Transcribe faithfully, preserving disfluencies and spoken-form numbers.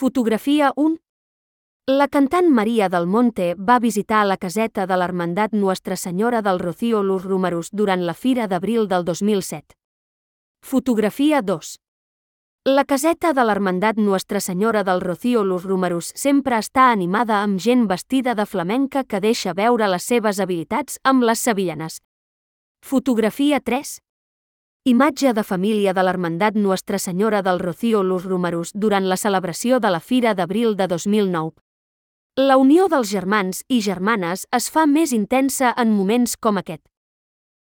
Fotografia un. La cantant Maria del Monte va visitar la caseta de l'Hermandat Nuestra Senyora del Rocío Los Números durant la Fira d'Abril del dos mil set. Fotografia dos. La caseta de l'Hermandat Nuestra Senyora del Rocío Los Números sempre està animada amb gent vestida de flamenca que deixa veure les seves habilitats amb les sevillanes. Fotografia tres. Imatge de família de l'Hermandat Nuestra Senyora del Rocío Los Números durant la celebració de la Fira d'Abril de dos mil nou. La unió dels germans i germanes es fa més intensa en moments com aquest.